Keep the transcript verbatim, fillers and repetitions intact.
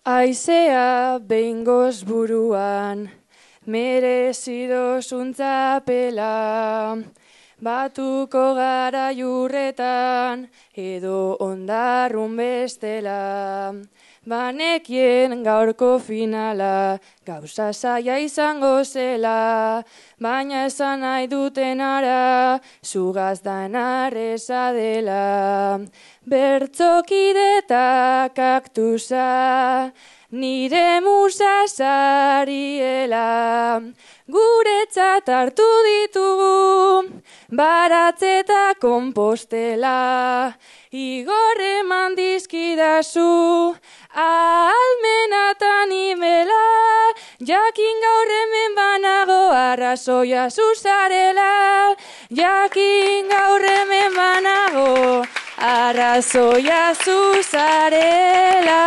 Aizea behingoz buruan, merezido zuntzapela, batuko gara jurretan, edo ondarrun bestela. Banekien gaurko finala, gauza zaila izango zela, baina esan nahi duten ara, zugaz da narreza dela. Bertzokide eta kaktusa, nire musa zariela, guretzat hartu ditugu, baratze eta kompostela, igor eman dizkidazu, ahalmena eta nimela, jakin gaur hemen banago arrazoia zuzarela, jakin gaur hemen banago arrazoia zuzarela.